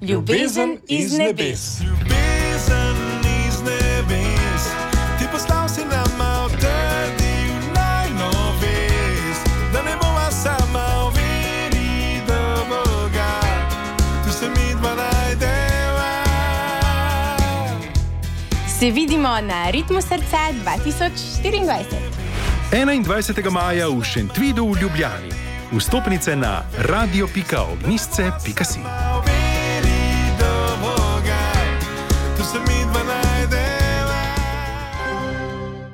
Ljubezen iz nebes. Ljubezen iz nebes, ti poslal si nama odtrdil najno vest, da ne bova sama v veri do Boga, tu se midva najdeva. Se vidimo na Ritmu srca 2024. 21. maja v Šentvidu v Ljubljani. Vstopnice na radio.ognisce.si.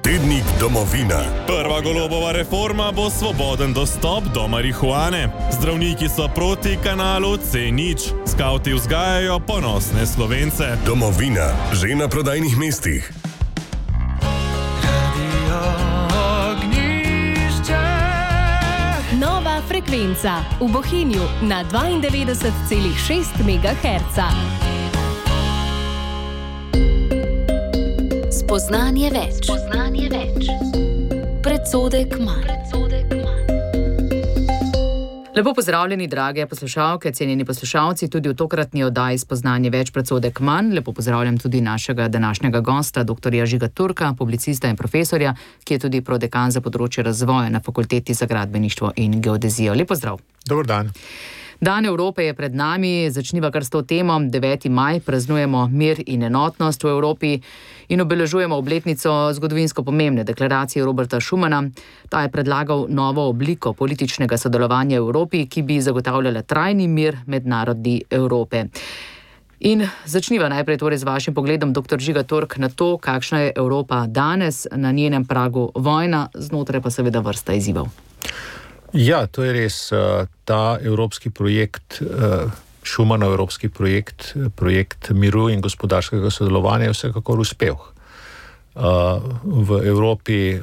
Tednik domovina. Prva Golobova reforma bo svoboden dostop do marihuane. Zdravniki so proti kanalu C0. Skavti vzgajajo ponosne Slovence. Domovina, že na prodajnih mestih. Nova frekvenca v Bohinju na 92,6 MHz. Spoznanje več. Predsodek manj. Lepo pozdravljeni, drage poslušalke, cenjeni poslušalci, tudi v tokratni oddaji Spoznanje več, predsodek manj. Lepo pozdravljam tudi našega današnjega gosta, dr. Žiga Turka, publicista in profesorja, ki je tudi prodekan za področje razvoja na Fakulteti za gradbeništvo in geodezijo. Lep pozdrav. Dober dan. Dan Evrope je pred nami, začniva kar s to temo. 9. maj praznujemo mir in enotnost v Evropi in obeležujemo obletnico zgodovinsko pomembne deklaracije Roberta Schumana. Ta je predlagal novo obliko političnega sodelovanja v Evropi, ki bi zagotavljala trajni mir med narodi Evrope. In začniva najprej torej z vašim pogledom, dr. Žiga Turk, na to, kakšna je Evropa danes, na njenem pragu vojna, znotraj pa seveda vrsta izzivov. Ja, to je res. Ta evropski projekt, Schumanov evropski projekt miru in gospodarskega sodelovanja je vsekakor uspel. V Evropi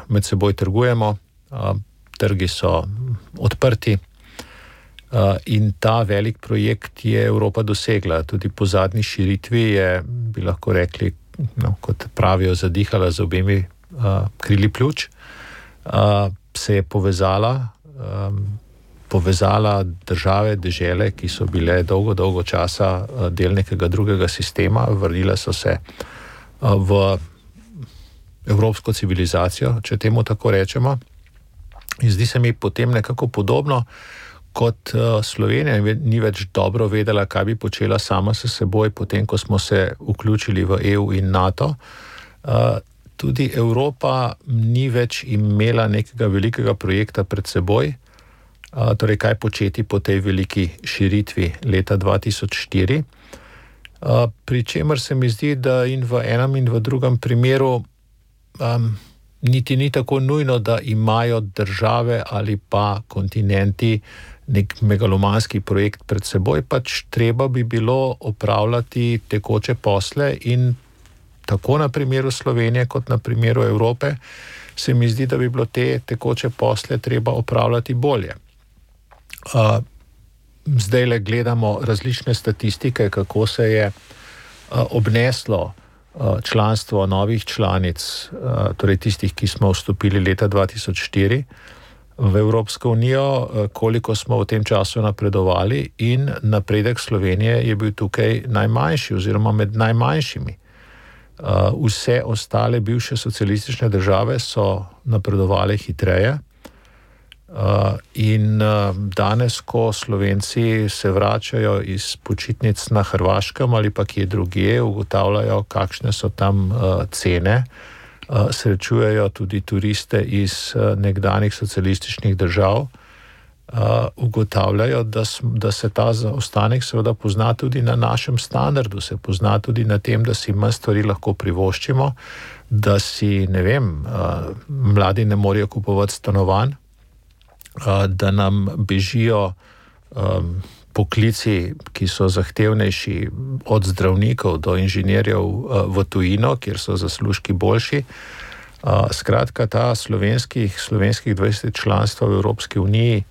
med seboj trgujemo, trgi so odprti in ta velik projekt je Evropa dosegla. Tudi po zadnji širitvi je, bi lahko rekli, kot pravijo, zadihala z obemi krili pljuč, se je povezala države, dežele, ki so bile dolgo časa del nekega drugega sistema, vrnile so se v evropsko civilizacijo, če temu tako rečemo. In zdi se mi potem nekako podobno, kot Slovenija ni več dobro vedela, kaj bi počela sama s seboj, potem ko smo se vključili v EU in NATO. Tudi Evropa ni več imela nekega velikega projekta pred seboj, torej kaj početi po tej veliki širitvi leta 2004. Pri čemer se mi zdi, da in v enem in v drugem primeru niti ni tako nujno, da imajo države ali pa kontinenti nek megalomanski projekt pred seboj, pač treba bi bilo opravljati tekoče posle in tako na primeru Slovenije kot na primeru Evrope se mi zdi, da bi bilo te tekoče posle treba opravljati bolje. Zdajle gledamo različne statistike, kako se je obneslo članstvo novih članic, torej tistih, ki smo vstopili leta 2004 v Evropsko unijo, koliko smo v tem času napredovali in napredek Slovenije je bil tukaj najmanjši oziroma med najmanjšimi. Vse ostale bivše socialistične države so napredovale hitreje in danes, ko Slovenci se vračajo iz počitnic na Hrvaškem ali pa kje drugje, ugotavljajo, kakšne so tam cene, srečujejo tudi turiste iz nekdanjih socialističnih držav, ugotavljajo, da se ta zaostanek seveda pozna tudi na našem standardu, se pozna tudi na tem, da si manj stvari lahko privoščimo, da si, ne vem, mladi ne morejo kupovati stanovanj, da nam bežijo poklici, ki so zahtevnejši, od zdravnikov do inženirjev v tujino, kjer so zaslužki boljši. Skratka, ta slovenskih 20 članstva v Evropski uniji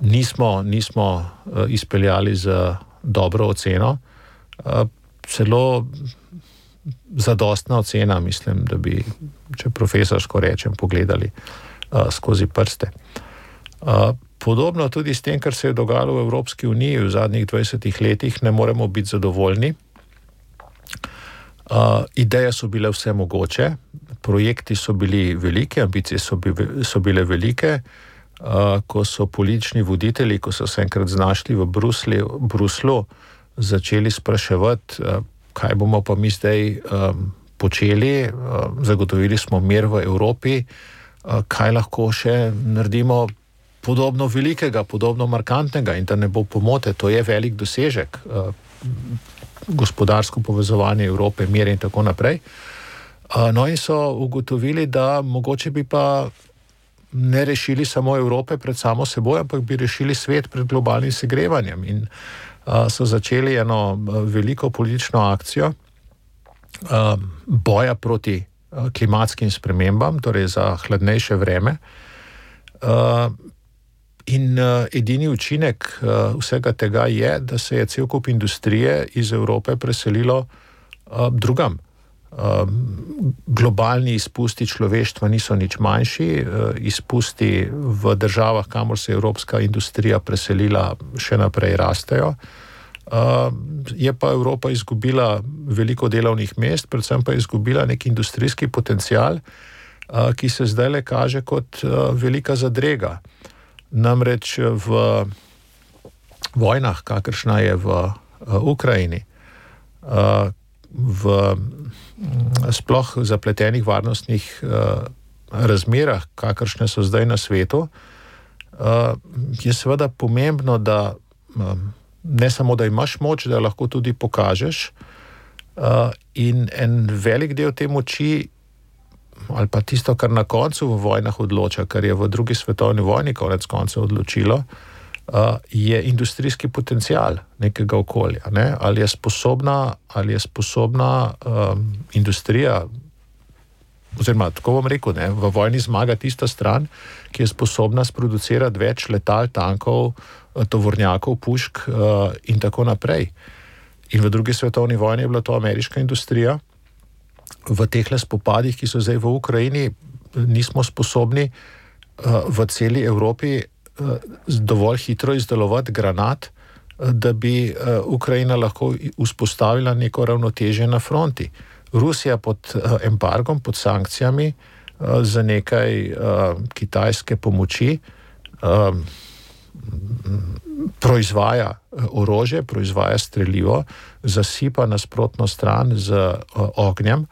nismo izpeljali z dobro oceno, celo zadostna ocena, mislim, da bi, če profesorsko rečem, pogledali skozi prste. Podobno tudi s tem, kar se je dogajalo v Evropski uniji v zadnjih 20 letih, ne moremo biti zadovoljni. Ideje so bile vse mogoče, projekti so bili veliki, ambicije so bile velike. Ko so politični voditelji, ko so se enkrat znašli v Bruslu, začeli spraševati, kaj bomo pa mi zdaj počeli, zagotovili smo mir v Evropi, kaj lahko še naredimo podobno velikega, podobno markantnega, in da ne bo pomote, to je velik dosežek, gospodarsko povezovanje Evrope, mir in tako naprej. No in so ugotovili, da mogoče bi pa ne rešili samo Evrope pred samo seboj, ampak bi rešili svet pred globalnim segrevanjem. In so začeli eno veliko politično akcijo boja proti klimatskim spremembam, torej za hladnejše vreme. In edini učinek vsega tega je, da se je cel kup industrije iz Evrope preselilo drugam. Globalni izpusti človeštva niso nič manjši, izpusti v državah, kamor se je evropska industrija preselila, še naprej rastejo. Je pa Evropa izgubila veliko delovnih mest, predvsem pa je izgubila nek industrijski potencial, ki se zdaj le kaže kot velika zadrega. Namreč v vojnah, kakršna je v Ukrajini, v sploh zapletenih varnostnih razmerah, kakršne so zdaj na svetu, je seveda pomembno, da ne samo, da imaš moč, da lahko tudi pokažeš, in en velik del te moči, ali pa tisto, kar na koncu v vojnah odloča, kar je v drugi svetovni vojni konec konca odločilo, je industrijski potencial nekega okolja. Ne? Ali je sposobna industrija, oziroma tako bom rekel, ne, v vojni zmaga tista stran, ki je sposobna sproducirati več letal, tankov, tovornjakov, pušk in tako naprej. In v drugi svetovni vojni je bila to ameriška industrija. V tehle spopadih, ki so zdaj v Ukrajini, nismo sposobni v celi Evropi dovolj hitro izdelovati granat, da bi Ukrajina lahko vzpostavila neko ravnotežje na fronti. Rusija pod embargom, pod sankcijami za nekaj kitajske pomoči proizvaja orožje, proizvaja strelivo, zasipa nasprotno stran z ognjem,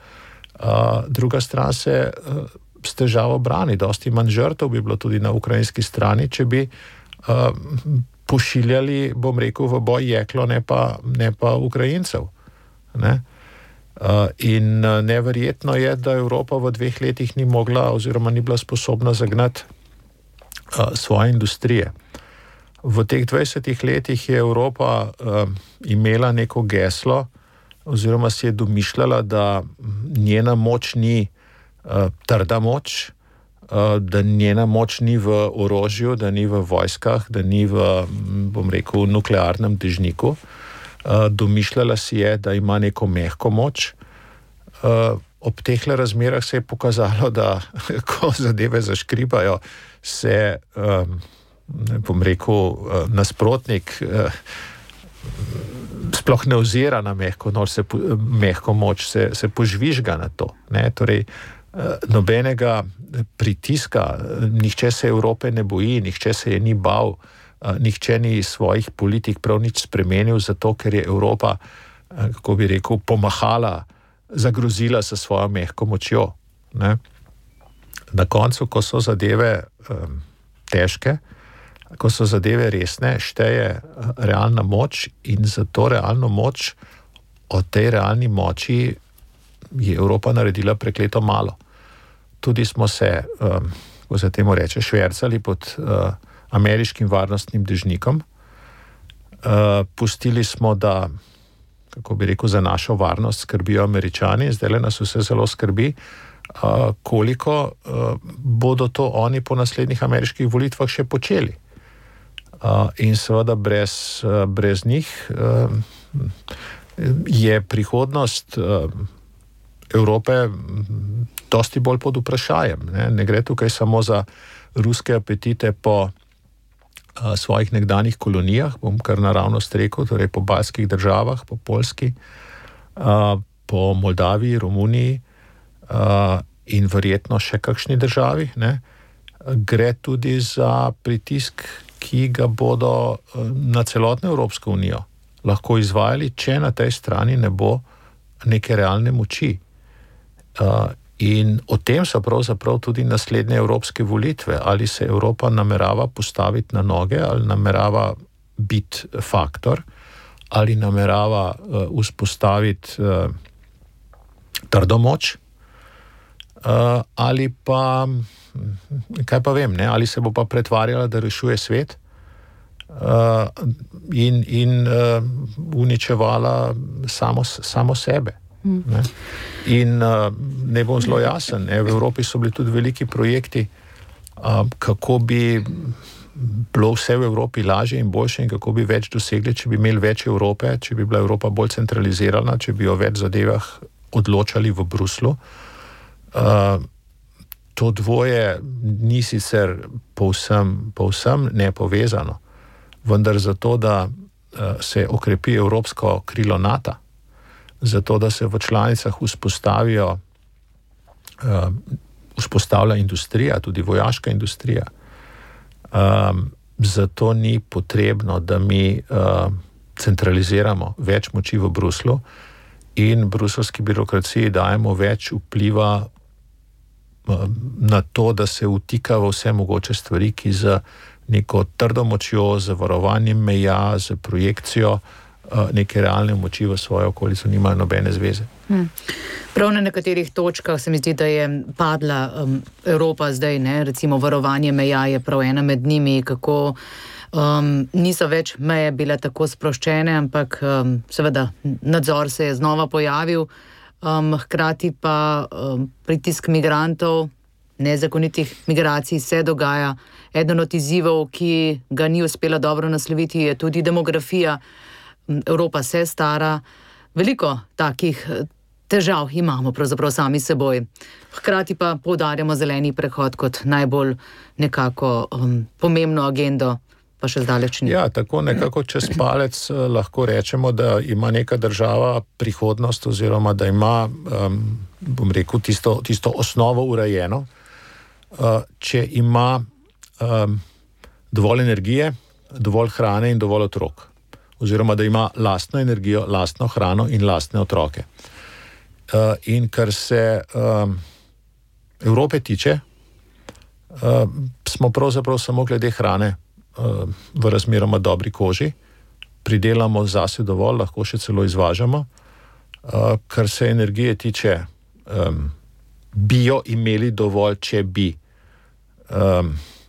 druga stran se s težavo brani. Dosti manj žrtev bi bilo tudi na ukrajinski strani, če bi pošiljali, bom rekel, v boj jeklo, ne pa Ukrajincev. Ne? In neverjetno je, da Evropa v 2 letih ni mogla oziroma ni bila sposobna zagnati svoje industrije. V teh 20 letih je Evropa imela neko geslo oziroma si je domišljala, da njena moč ni trda moč, da njena moč ni v orožju, da ni v vojskah, da ni v, bom rekel, nuklearnem dežniku. Domišljala si je, da ima neko mehko moč. Ob teh razmerah se je pokazalo, da ko zadeve zaškribajo, se, bom rekel, nasprotnik sploh ne ozira na mehko moč, se požvižga na to. Ne? Torej, nobenega pritiska, nihče se Evrope ne boji, nihče se je ni bal, nihče ni svojih politik prav nič spremenil, zato ker je Evropa, kako bi rekel, pomahala, zagrozila sa svojo mehko močjo. Ne? Na koncu, ko so zadeve težke, ko so zadeve resne, šteje realna moč, in za to realno moč, od tej realni moči je Evropa naredila prekleto malo. Tudi smo se, ko se temu reče, švercali pod ameriškim varnostnim dežnikom. Pustili smo, da, kako bi rekel, za našo varnost skrbijo Američani, zdaj nas vse zelo skrbi, koliko bodo to oni po naslednjih ameriških volitvah še počeli. In seveda brez njih je prihodnost Evrope dosti bolj pod vprašajem. Ne gre tukaj samo za ruske apetite po svojih nekdanjih kolonijah, bom kar naravnost rekel, torej po balskih državah, po Poljski, po Moldaviji, Romuniji in verjetno še kakšni državi, ne, gre tudi za pritisk, ki ga bodo na celotno Evropsko unijo lahko izvajali, če na tej strani ne bo neke realne moči. In o tem so pravzaprav tudi naslednje evropske volitve, ali se Evropa namerava postaviti na noge, ali namerava biti faktor, ali namerava vzpostaviti trdo moč, ali pa, kaj pa vem, ne, ali se bo pa pretvarjala, da rešuje svet in uničevala samo sebe. Ne. In ne bom zelo jasen, ne, v Evropi so bili tudi veliki projekti, kako bi bilo vse v Evropi lažje in boljše in kako bi več dosegli, če bi imeli več Evrope, če bi bila Evropa bolj centralizirana, če bi o več zadevah odločali v Bruslu. To dvoje ni sicer povsem nepovezano, vendar zato, da se okrepi evropsko krilo NATO, zato, da se v članicah vzpostavlja industrija, tudi vojaška industrija. Zato ni potrebno, da mi centraliziramo več moči v Bruslu in bruselski birokraciji dajemo več vpliva na to, da se vtika v vse mogoče stvari, ki z neko trdo močjo, z varovanjem meja, z projekcijo neke realne moči v svojo okolico nimajo nobene zveze. Prav na nekaterih točkah se mi zdi, da je padla Evropa zdaj, ne? Recimo varovanje meja je prav ena med njimi, kako niso več meje bile tako sproščene, ampak seveda nadzor se je znova pojavil, hkrati pa pritisk migrantov, nezakonitih migracij se dogaja. Eden od izzivov, ki ga ni uspela dobro nasloviti, je tudi demografija. Evropa se stara, veliko takih težav imamo pravzaprav sami seboj. Hkrati pa poudarjamo zeleni prehod kot najbolj nekako pomembno agendo, pa še zdaleč ni. Ja, tako nekako čez palec lahko rečemo, da ima neka država prihodnost oziroma da ima, bom rekel, tisto osnovo urejeno, če ima dovolj energije, dovolj hrane in dovolj otrok. Oziroma, da ima lastno energijo, lastno hrano in lastne otroke. In kar se Evrope tiče, smo pravzaprav samo glede hrane v razmeroma dobri koži, pridelamo zase dovolj, lahko še celo izvažamo. Kar se energije tiče, bi jo imeli dovolj, če bi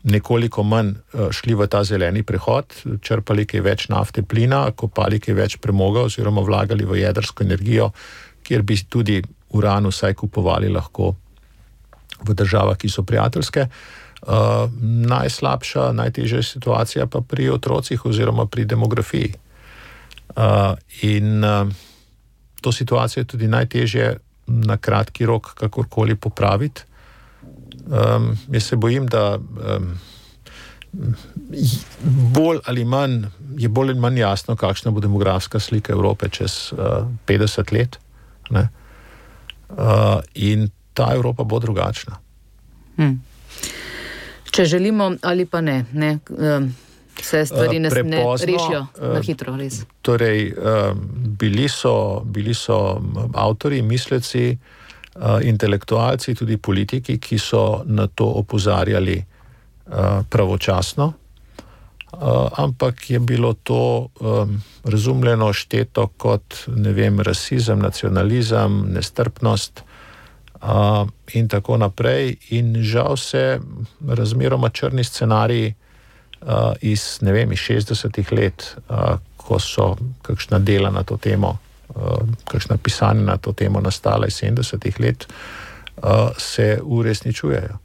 nekoliko manj šli v ta zeleni prehod, črpali kaj več nafte, plina, kopali kaj več premoga oziroma vlagali v jedrsko energijo, kjer bi tudi uran vsaj kupovali lahko v državah, ki so prijateljske. Najslabša, najtežja situacija pa pri otrocih oziroma pri demografiji. In to situacijo je tudi najtežje na kratki rok kakorkoli popraviti. Jaz se bojim, da je bolj ali manj jasno, kakšna bo demografska slika Evrope čez 50 let. Ne? In ta Evropa bo drugačna. Če želimo ali pa ne, se stvari ne rešijo na hitro, res. Torej, bili so avtori, misleci, intelektualci, tudi politiki, ki so na to opozarjali pravočasno, ampak je bilo to razumljeno, šteto kot, ne vem, rasizem, nacionalizem, nestrpnost in tako naprej. In žal se razmeroma črni scenariji iz 60-ih let, ko so kakšna dela na to temo, kakšna pisanja na to temo nastala iz 70-ih let, se uresničujejo.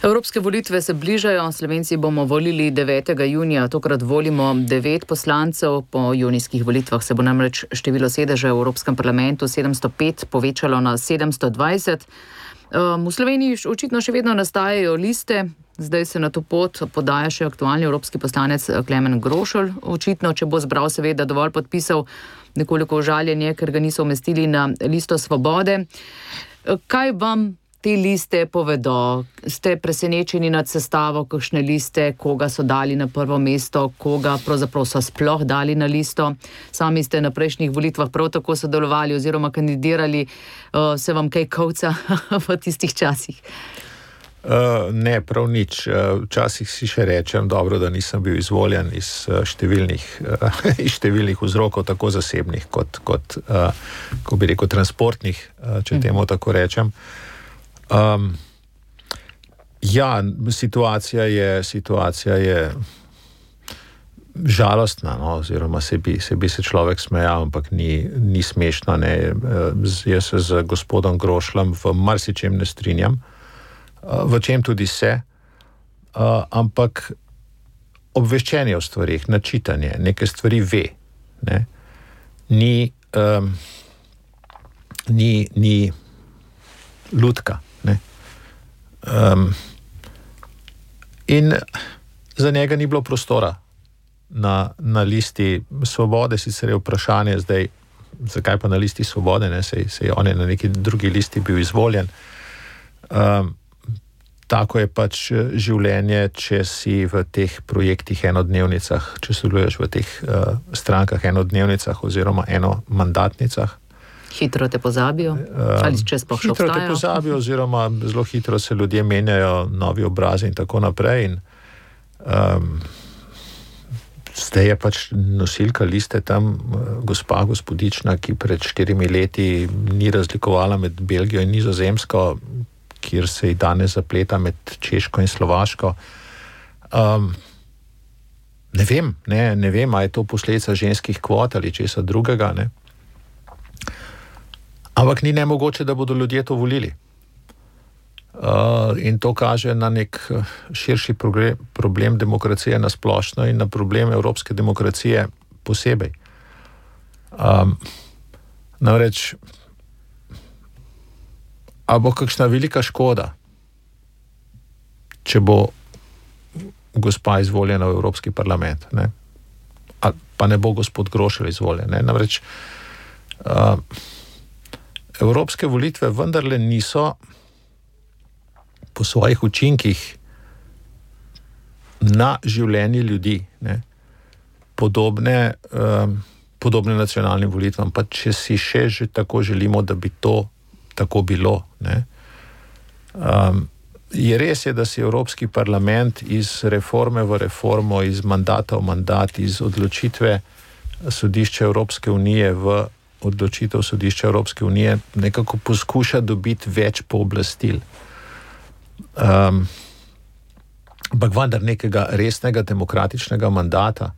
Evropske volitve se bližajo, Slovenci bomo volili 9. junija, tokrat volimo 9 poslancev, po junijskih volitvah se bo namreč število sedežev v Evropskem parlamentu 705 povečalo na 720. V Sloveniji očitno še vedno nastajajo liste, zdaj se na to pot podaja še aktualni evropski poslanec Klemen Grošelj. Očitno, če bo zbral seveda dovolj podpisov, nekoliko užaljen je, ker ga niso umestili na listo Svobode. Kaj vam te liste povedo? Ste presenečeni nad sestavo kakšne liste, koga so dali na prvo mesto, koga pravzaprav so sploh dali na listo? Sami ste na prejšnjih volitvah prav tako sodelovali oziroma kandidirali. Se vam kaj kovca v tistih časih? Ne, prav nič. Včasih si še rečem, dobro, da nisem bil izvoljen iz številnih vzrokov, tako zasebnih kot ko bi rekel, transportnih, če temu tako rečem. Situacija je žalostna, no, oziroma se bi se človek smejal, ampak ni smešno, ne. Jaz se z gospodom Grošljem v marsičem ne strinjam, v čem tudi se, ampak obveščenje o stvarih, načitanje, neke stvari ve, ne, ni lutka, ne. In za njega ni bilo prostora na listi Svobode, sicer je vprašanje zdaj, zakaj pa na listi Svobode, ne, sej on je na neki drugi listi bil izvoljen. Tako je pač življenje, če si v teh projektih enodnevnicah, če sodeluješ v teh strankah enodnevnicah oziroma enomandatnicah. Hitro te pozabijo? Ali če sploh še obstajajo? Hitro te pozabijo oziroma zelo hitro se ljudje menjajo, novi obrazi in tako naprej. In, zdaj je pač nosilka liste tam gospa Gospodična, ki pred 4 leti ni razlikovala med Belgijo in Nizozemsko, kjer se ji danes zapleta med Češko in Slovaško. Ne vem, a je to posledica ženskih kvot ali česa drugega, ne. Ampak ni nemogoče, da bodo ljudje to volili. In to kaže na nek širši problem demokracije na splošno in na problem evropske demokracije posebej. Namreč, a bo kakšna velika škoda, če bo gospa izvoljena v Evropski parlament, ne? Pa ne bo gospod Grošelj izvoljen, ne? Namreč, evropske volitve vendarle niso po svojih učinkih na življenje ljudi, ne, podobne nacionalnim volitvam, pa če si še že tako želimo, da bi to tako bilo, ne. Je res je, da si Evropski parlament iz reforme v reformo, iz mandata v mandat, iz odločitve sodišča Evropske unije v odločitev sodišča Evropske unije nekako poskuša dobiti več pooblastil. Ampak vendar nekega resnega demokratičnega mandata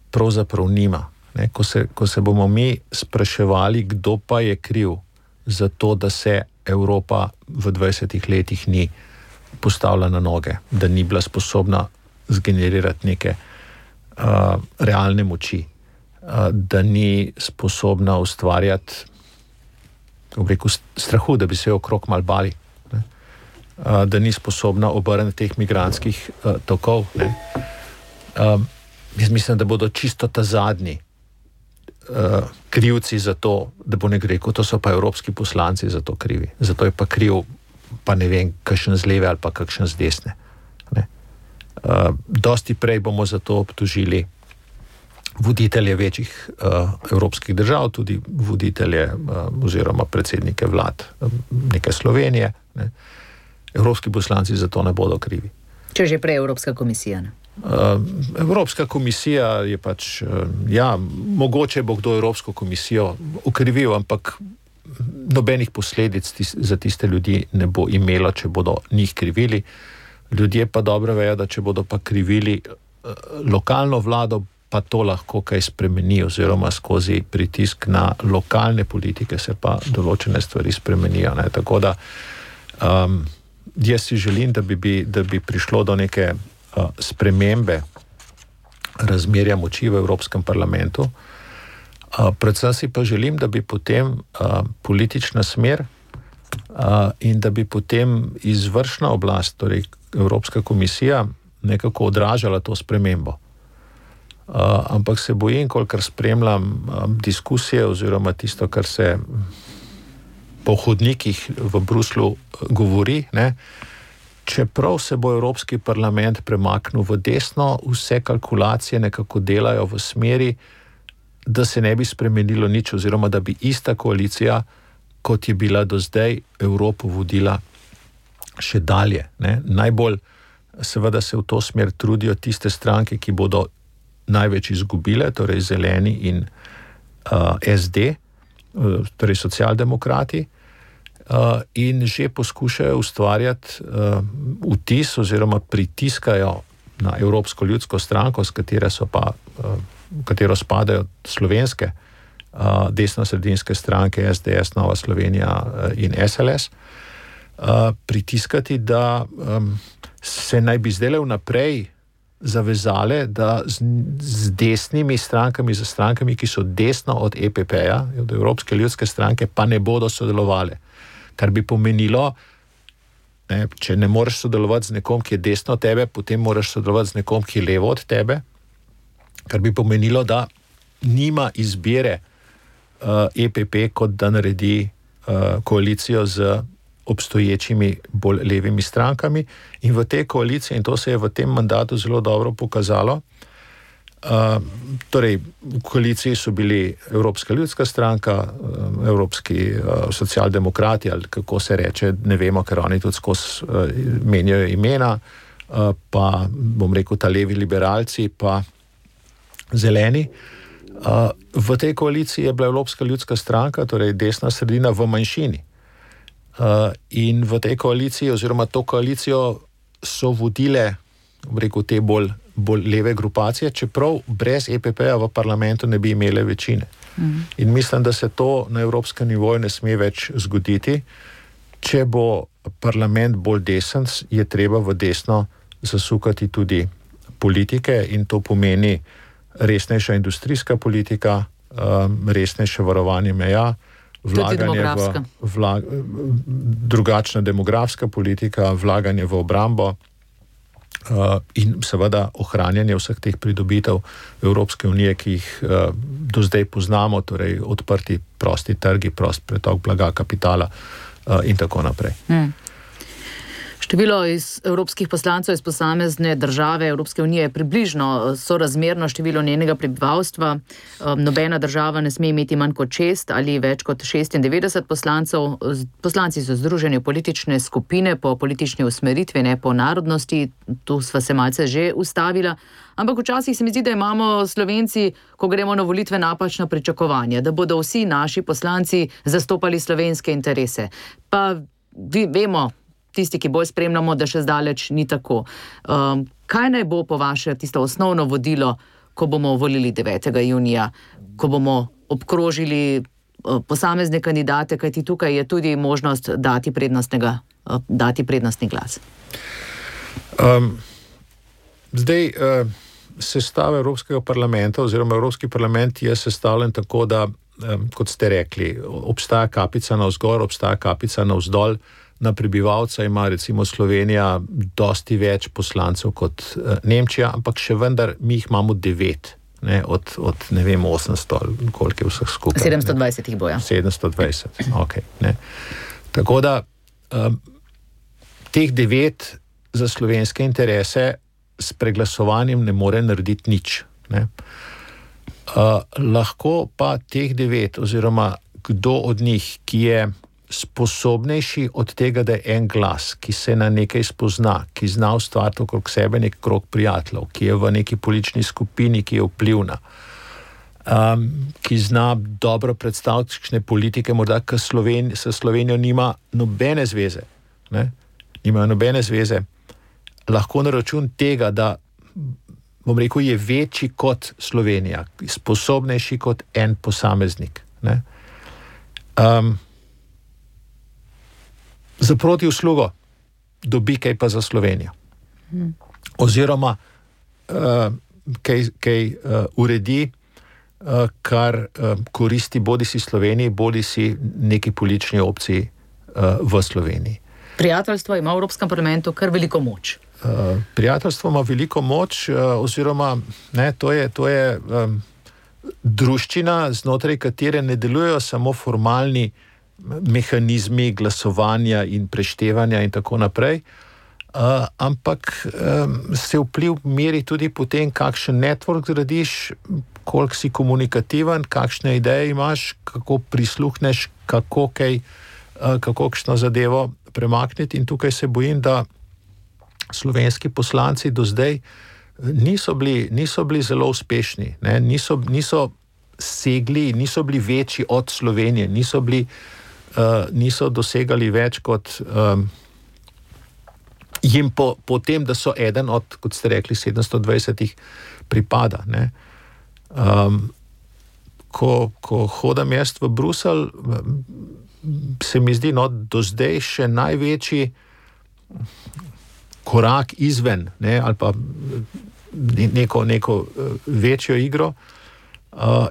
pravzaprav nima. Ne? Ko se bomo mi spraševali, kdo pa je kriv za to, da se Evropa v 20 letih ni postavila na noge, da ni bila sposobna zgenerirati neke realne moči, da ni sposobna ustvarjati, kako bi rekel, strahu, da bi se okrog mal bali, ne? Da ni sposobna obrniti teh migrantskih tokov. Ne? Jaz mislim, da bodo čisto ta zadnji krivci za to, da bo nekdo rekel, to so pa evropski poslanci za to krivi. Zato je pa kriv, pa ne vem, kakšen z leve ali pa kakšen z desne. Ne? Dosti prej bomo za to obtožili voditelje večjih evropskih držav, tudi voditelje oziroma predsednike vlad neke Slovenije. Ne? Evropski poslanci za to ne bodo krivi. Če že prej Evropska komisija, ne? Evropska komisija je pač, mogoče bo kdo Evropsko komisijo okrivil, ampak nobenih posledic za tiste ljudi ne bo imelo, če bodo njih krivili. Ljudje pa dobro vejo, da če bodo pa krivili lokalno vlado, pa to lahko kaj spremeni, oziroma skozi pritisk na lokalne politike se pa določene stvari spremenijo. Ne? Tako da jaz si želim, da bi prišlo do neke spremembe razmerja moči v Evropskem parlamentu. Predvsem si pa želim, da bi potem politična smer in da bi potem izvršna oblast, torej Evropska komisija, nekako odražala to spremembo. Ampak se bojim, kolikor spremljam diskusije oziroma tisto, kar se po hodnikih v Bruslju govori, ne, čeprav se bo Evropski parlament premaknil v desno, vse kalkulacije nekako delajo v smeri, da se ne bi spremenilo nič oziroma da bi ista koalicija, kot je bila do zdaj, Evropo vodila še dalje. Ne. Najbolj seveda se v to smer trudijo tiste stranke, ki bodo največ izgubile, torej Zeleni in SD, torej socialdemokrati, in že poskušajo ustvarjati vtis oziroma pritiskajo na Evropsko ljudsko stranko, s katero spadajo slovenske desno-sredinske stranke SDS, Nova Slovenija in SLS, pritiskati, da se naj bi zdaj vnaprej zavezale, da z desnimi strankami, z strankami, ki so desno od EPP-ja, od Evropske ljudske stranke, pa ne bodo sodelovali. Kar bi pomenilo, ne, če ne moreš sodelovati z nekom, ki je desno od tebe, potem moraš sodelovati z nekom, ki je levo od tebe, kar bi pomenilo, da nima izbire EPP, kot da naredi koalicijo z obstoječimi bolj levimi strankami, in v tej koaliciji, in to se je v tem mandatu zelo dobro pokazalo, torej v koaliciji so bili Evropska ljudska stranka, Evropski socialdemokrati, ali kako se reče, ne vemo, ker oni tudi skozi menjajo imena, pa bom rekel ta levi liberalci, pa zeleni. V tej koaliciji je bila Evropska ljudska stranka, torej desna sredina, v manjšini. In v tej koaliciji oziroma to koalicijo so vodile, bom rekel, te bolj leve grupacije, čeprav brez EPP-ja v parlamentu ne bi imele večine. In mislim, da se to na evropskem nivoju ne sme več zgoditi. Če bo parlament bolj desen, je treba v desno zasukati tudi politike, in to pomeni resnejša industrijska politika, resnejše varovanje meja, drugačna demografska politika, vlaganje v obrambo in seveda ohranjanje vseh teh pridobitev Evropske unije, ki jih do zdaj poznamo, torej odprti prosti trgi, prost pretok blaga, kapitala in tako naprej. Število evropskih poslancev iz posamezne države Evropske unije je približno sorazmerno številu njenega prebivalstva. Nobena država ne sme imeti manj kot 6 ali več kot 96 poslancev. Poslanci so združeni v politične skupine po politični usmeritvi, ne po narodnosti. Tu sva se malce že ustavila. Ampak včasih se mi zdi, da imamo Slovenci, ko gremo na volitve, napačna pričakovanja, da bodo vsi naši poslanci zastopali slovenske interese. Pa vemo, tisti, ki bolj spremljamo, da še zdaleč ni tako. Kaj naj bo po vaše tisto osnovno vodilo, ko bomo volili 9. junija, ko bomo obkrožili posamezne kandidate, kajti tukaj je tudi možnost dati prednostni glas? Sestava Evropskega parlamenta oziroma Evropski parlament je sestavljen tako, da, kot ste rekli, obstaja kapica navzgor, obstaja kapica navzdol. Na prebivalca ima recimo Slovenija dosti več poslancev kot Nemčija, ampak še vendar mi jih imamo 9, ne, od ne vem 800, koliko je vseh skupaj. 720 jih bo, ja. 720, ok. Ne. Tako da teh 9 za slovenske interese s preglasovanjem ne more narediti nič. Ne. Lahko pa teh 9 oziroma kdo od njih, ki je sposobnejši od tega, da je en glas, ki se na nekaj spozna, ki zna ustvariti okrog sebe nek krog prijateljev, ki je v neki politični skupini, ki je vplivna, ki zna dobro predstaviti kakšne politike, morda k Slovenijo nima nobene zveze, ne? Nimajo nobene zveze, lahko na račun tega, da, bom rekel, je večji kot Slovenija, sposobnejši kot en posameznik, ne? Za protiuslugo dobi kaj pa za Slovenijo. Oziroma kaj uredi, kar koristi bodisi Sloveniji, bodisi neki politični opciji v Sloveniji. Prijateljstvo ima v Evropskem parlamentu kar veliko moč. Prijateljstvo ima veliko moč, oziroma to je druščina, znotraj katere ne delujejo samo formalni mehanizmi glasovanja in preštevanja in tako naprej, ampak se vpliv meri tudi po tem, kakšen network gradiš, koliko si komunikativen, kakšne ideje imaš, kako prisluhneš, kako kakšno zadevo premakniti, in tukaj se bojim, da slovenski poslanci do zdaj niso bili zelo uspešni, ne? Niso segli, niso bili večji od Slovenije, niso dosegali več kot jim po tem, da so eden od, kot ste rekli, 720 pripada. Ne? Ko hodam jaz v Bruselj, se mi zdi, do zdaj še največji korak izven, ne, ali pa neko večjo igro,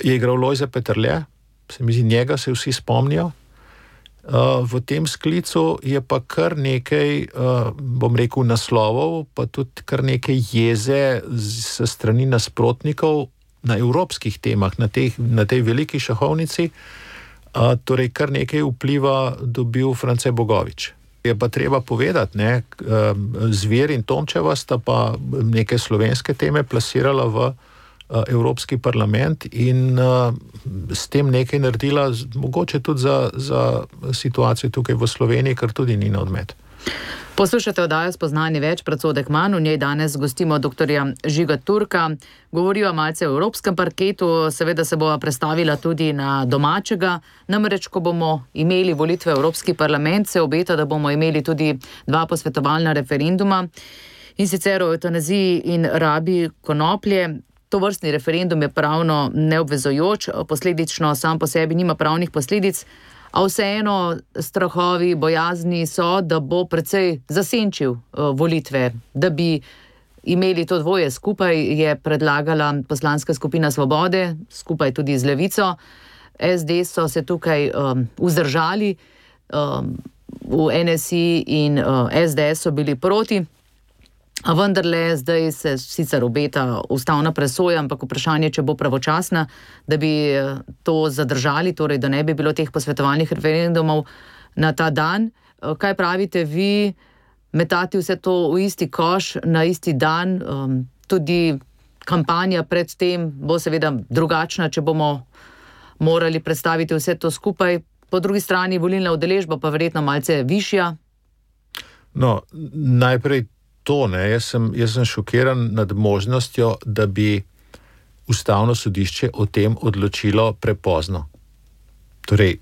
je igral Lojze Peterle, se mi zdi, njega se vsi spomnijo. V tem sklicu je pa kar nekaj, bom rekel, naslovov, pa tudi kar nekaj jeze s strani nasprotnikov na evropskih temah, na tej veliki šahovnici, torej kar nekaj vpliva dobil France Bogovič. Je pa treba povedati, ne, Zver in Tomčeva sta pa neke slovenske teme plasirala v Evropski parlament in s tem nekaj naredila, mogoče tudi za situacijo tukaj v Sloveniji, kar tudi ni na odmet. Poslušate oddajo Spoznanje več, predsodek manj. V njej danes gostimo doktorja Žiga Turka. Govoriva malce o evropskem parketu, seveda se bova prestavila tudi na domačega. Namreč, ko bomo imeli volitve v Evropski parlament, se obeta, da bomo imeli tudi 2 posvetovalna referenduma, in sicer o eutanaziji in rabi konoplje. To vrstni referendum je pravno neobvezujoč, posledično sam po sebi nima pravnih posledic, a vseeno strahovi, bojazni so, da bo precej zasenčil volitve. Da bi imeli to dvoje skupaj, je predlagala poslanska skupina Svobode, skupaj tudi z Levico. SD so se tukaj vzdržali, v NSI in SDS so bili proti. A vendarle, zdaj se sicer obeta ustavna presoja, ampak vprašanje, če bo pravočasna, da bi to zadržali, torej da ne bi bilo teh posvetovalnih referendumov na ta dan. Kaj pravite vi, metati vse to v isti koš, na isti dan? Tudi kampanja pred tem bo seveda drugačna, če bomo morali predstaviti vse to skupaj. Po drugi strani volilna udeležba pa verjetno malce višja. No, najprej jaz sem šokiran nad možnostjo, da bi ustavno sodišče o tem odločilo prepozno. Torej,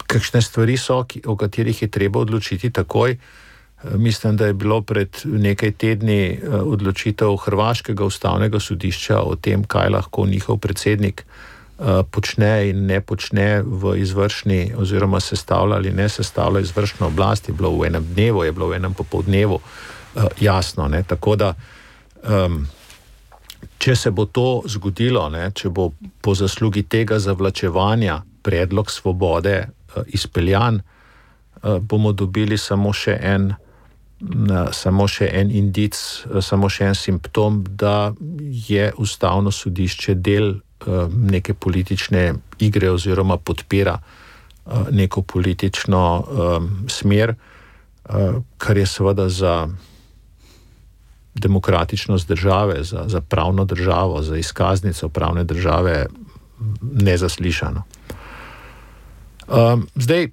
kakšne stvari so, o katerih je treba odločiti takoj. Mislim, da je bilo pred nekaj tedni odločitev hrvaškega ustavnega sodišča o tem, kaj lahko njihov predsednik počne in ne počne v izvršni, oziroma sestavlja ali ne sestavlja izvršno oblast. Je bilo v enem dnevu, je bilo v enem popoldnevu. Jasno, ne, tako da če se bo to zgodilo, ne, če bo po zaslugi tega zavlačevanja predlog Svobode izpeljan, bomo dobili samo še en indic, samo še en simptom, da je ustavno sodišče del neke politične igre oziroma podpira neko politično smer, kar je seveda za demokratičnost države, za pravno državo, za izkaznico pravne države nezaslišano. Zdaj,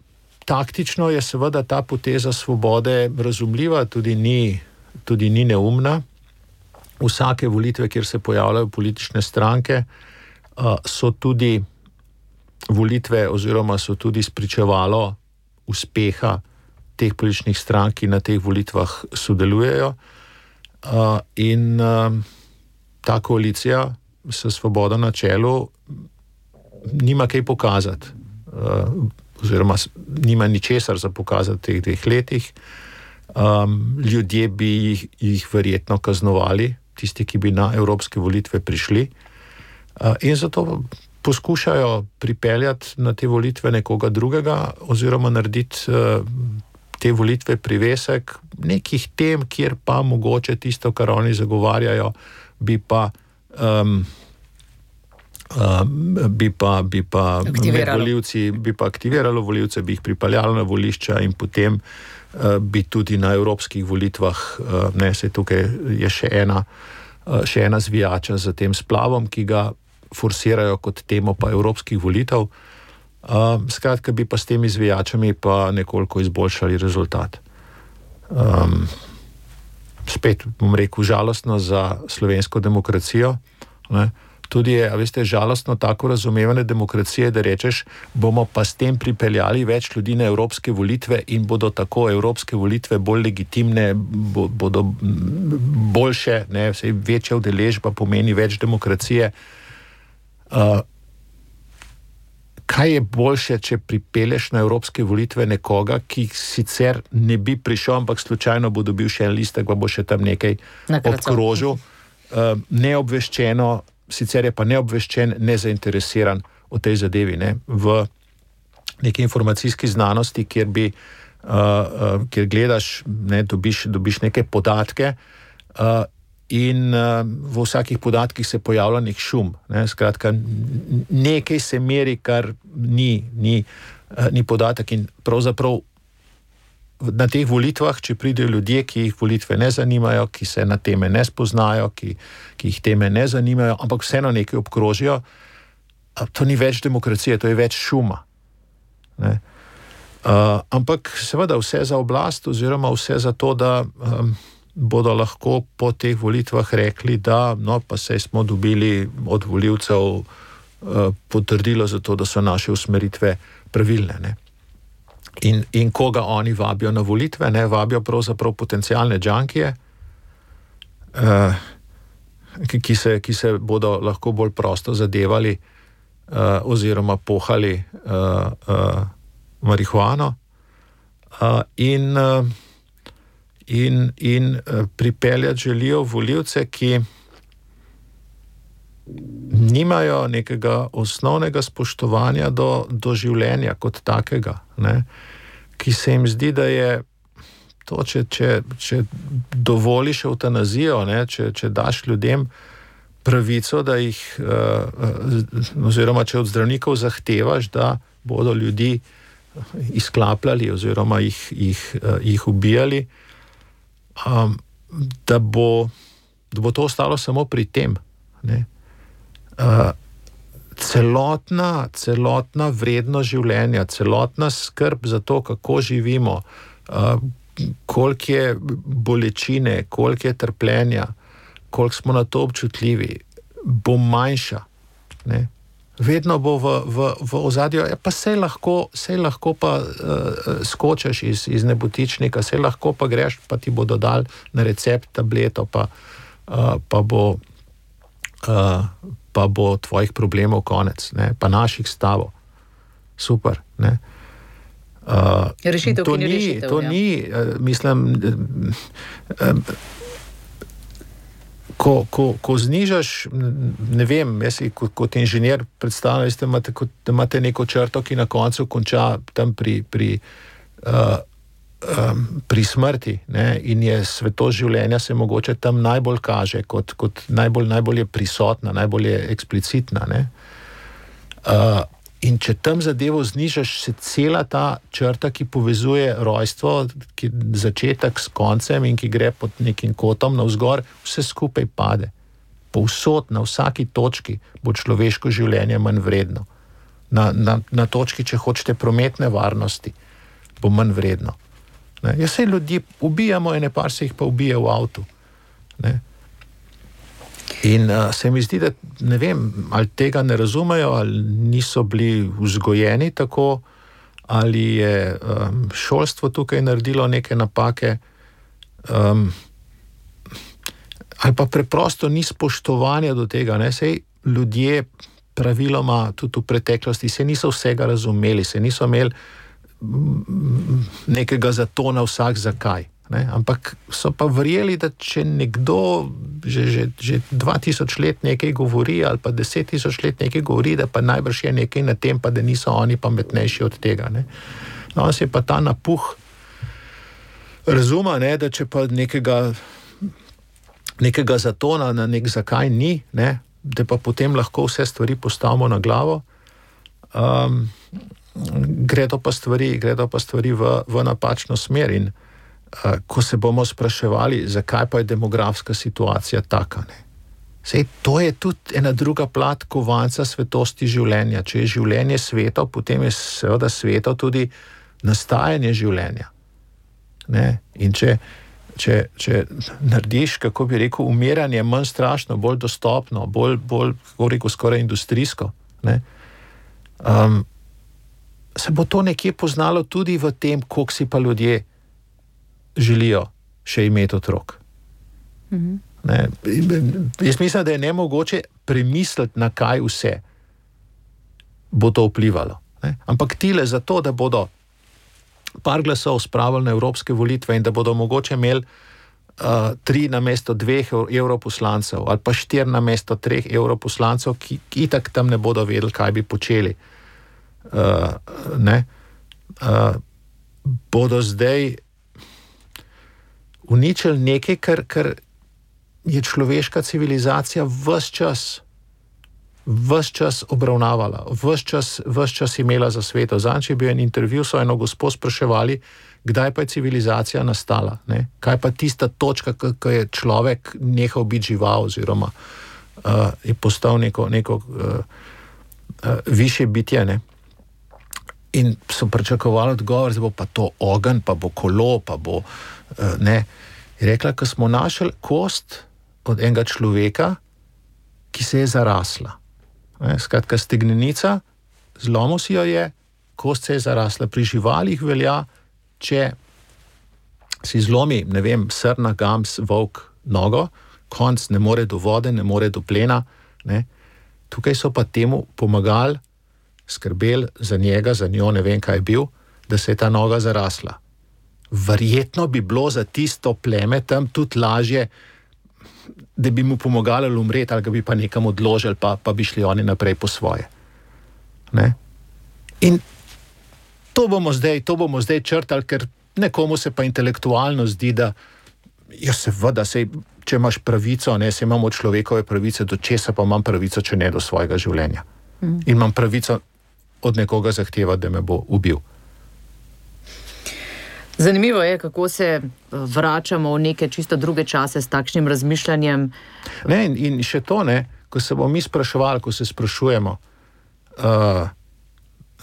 taktično je seveda ta poteza Svobode razumljiva, tudi ni neumna. Vsake volitve, kjer se pojavljajo politične stranke, so tudi volitve oziroma so tudi spričevalo uspeha teh političnih strank, ki na teh volitvah sodelujejo. In ta koalicija s Svobodo na čelu nima kaj pokazati, oziroma nima ničesar za pokazati v teh 2 letih. Ljudje bi jih verjetno kaznovali, tisti, ki bi na evropske volitve prišli. In zato poskušajo pripeljati na te volitve nekoga drugega oziroma narediti te volitve privesek nekih tem, kjer pa mogoče tisto, kar oni zagovarjajo, bi pa med volivci, bi pa aktiviralo volivce, bi jih pripeljalo na volišča in potem bi tudi na evropskih volitvah, se tukaj je še ena zvijača za tem splavom, ki ga forsirajo kot temo pa evropskih volitev. Skratka, bi pa s temi zvijačami pa nekoliko izboljšali rezultat. Spet bom rekel, žalostno za slovensko demokracijo, ne? Tudi je, veste, žalostno tako razumevanje demokracije, da rečeš, bomo pa s tem pripeljali več ljudi na evropske volitve in bodo tako evropske volitve bolj legitimne, bodo boljše, ne, večja udeležba pomeni več demokracije. Kaj je boljše, če pripelješ na evropske volitve nekoga, ki sicer ne bi prišel, ampak slučajno bo dobil še en listek, pa bo še tam nekaj obkrožil, neobveščeno, sicer je pa neobveščen, nezainteresiran o tej zadevi, ne? V neki informacijski znanosti, kjer gledaš, ne, dobiš neke podatke in v vsakih podatkih se pojavlja nek šum, ne? Skratka, nekaj se meri, kar ni podatek in pravzaprav na teh volitvah, če pridejo ljudje, ki jih volitve ne zanimajo, ki se na teme ne spoznajo, ki jih teme ne zanimajo, ampak vseeno nekaj obkrožijo, to ni več demokracije, to je več šuma. Ne? Ampak seveda vse za oblast oziroma vse za to, da bodo lahko po teh volitvah rekli, da no, pa saj smo dobili od volivcev potrdilo za to, da so naše usmeritve pravilne, ne? In koga oni vabijo na volitve, ne, vabijo pravzaprav potencialne džankije, ki se bodo lahko bolj prosto zadevali oziroma pohali marihuano in pripeljati želijo volivce, ki nimajo nekega osnovnega spoštovanja do življenja kot takega, ne? Ki se jim zdi, da je to, če dovoliš evtanazijo, ne? Če daš ljudem pravico, da jih oziroma če od zdravnikov zahtevaš, da bodo ljudi izklapljali oziroma jih ubijali, da bo to ostalo samo pri tem, ne? Celotna vrednost življenja, celotna skrb za to, kako živimo, koliko je bolečine, koliko je trpljenja, koliko smo na to občutljivi, bo manjša, ne? Vedno bo v ozadju, pa sej lahko pa skočiš iz nebotičnika, sej lahko pa greš, pa ti bodo dali na recept tableto, pa bo tvojih problemov konec, ne? Pa naših stavov. Super, ne? Rešitev, to ni rešitev, to ni, mislim, ko znižaš, ne vem, jaz si kot inženir predstavljam, da imate neko črto, ki na koncu konča tam pri smrti, ne? In je svetost življenja se mogoče tam najbolj kaže, kot najbolj je prisotna, najbolj je eksplicitna, ne? In če tam zadevo znižaš, se cela ta črta, ki povezuje rojstvo, začetek s koncem in ki gre pod nekim kotom navzgor, vse skupaj pade. Povsod, na vsaki točki bo človeško življenje manj vredno. Na točki, če hočete, prometne varnosti, bo manj vredno. Jaz se ljudi ubijamo, ene par se jih pa ubije v avtu. Ne? In se mi zdi, da ne vem, ali tega ne razumejo, ali niso bili vzgojeni tako, ali je šolstvo tukaj naredilo neke napake, ali pa preprosto ni spoštovanja do tega. Ne? Sej ljudje praviloma tudi v preteklosti se niso vsega razumeli, se niso imeli nekega zatona vsak zakaj. Ne? Ampak so pa verjeli, da če nekdo že 2000 let nekaj govori ali pa 10 000 let nekaj govori, da pa najbrž je nekaj na tem, pa da niso oni pametnejši od tega. Ne? No, on se je pa ta napuh razuma, ne, da če pa nekega zatona na nek zakaj ni, ne, da pa potem lahko vse stvari postavimo na glavo, gredo pa stvari v napačno smer in ko se bomo spraševali, zakaj pa je demografska situacija taka, ne. Sej, to je tudi ena druga plat kovanca svetosti življenja. Če je življenje sveto, potem je seveda sveto tudi nastajanje življenja. Ne? In če narediš, kako bi rekel, umiranje manj strašno, bolj dostopno, bolj kako rekel, skoraj industrijsko, ne? Se bo to nekje poznalo tudi v tem, koliko si pa ljudje želijo še imeti otrok. Ne? Jaz mislim, da je nemogoče premisliti, na kaj vse bo to vplivalo. Ne? Ampak tile zato, da bodo par glasov spravili na evropske volitve in da bodo mogoče imeli 3 namesto 2 evroposlancev ali pa 4 namesto 3 evroposlancev, ki itak tam ne bodo vedeli, kaj bi počeli. Bodo zdaj uničili nekaj, kar je človeška civilizacija ves čas obravnavala, ves čas imela za sveto. Zadnjič je bil en intervju, so eno gospo spraševali, kdaj pa je civilizacija nastala, ne? Kaj pa tista točka, ko je človek nehal biti žival oziroma je postal neko višje bitje, ne? In so pričakovali odgovor, da bo pa to ogenj, pa bo kolo, pa bo ne. Je rekla, ko smo našli kost od enega človeka, ki se je zarasla. Skratka, stegnenica, zlomil si jo je, kost se je zarasla. Pri živalih velja, če si zlomi, ne vem, srna, gams, volk nogo, konc ne more do vode, ne more do plena. Ne. Tukaj so pa temu pomagali, skrbeli za njega, za njo, ne vem, kaj je bil, da se je ta noga zarasla. Verjetno bi bilo za tisto pleme tam tudi lažje, da bi mu pomagali umreti, ali ga bi pa nekam odložili, pa bi šli oni naprej po svoje. Ne? In to bomo zdaj črtali, ker nekomu se pa intelektualno zdi, da ja, seveda, če imaš pravico, ne, se imamo človekove pravice, do česa pa imam pravico, če ne do svojega življenja. In imam pravico od nekoga zahteva, da me bo ubil. Zanimivo je, kako se vračamo v neke čisto druge čase s takšnim razmišljanjem. Ne, in še to, ne, ko se bomo mi spraševali, ko se sprašujemo,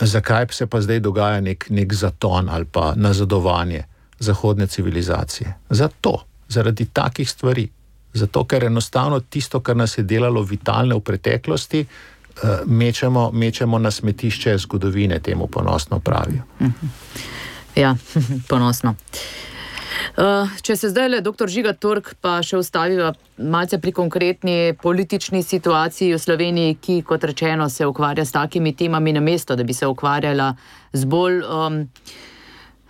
zakaj se pa zdaj dogaja nek zaton ali pa nazadovanje zahodne civilizacije. Zaradi takih stvari. Zato, ker enostavno tisto, kar nas je delalo vitalne v preteklosti, mečemo na smetišče zgodovine, temu ponosno pravijo. Ja, ponosno. Če se zdaj le dr. Žiga Turk pa še ustaviva malce pri konkretni politični situaciji v Sloveniji, ki, kot rečeno, se ukvarja s takimi temami namesto, da bi se ukvarjala z bolj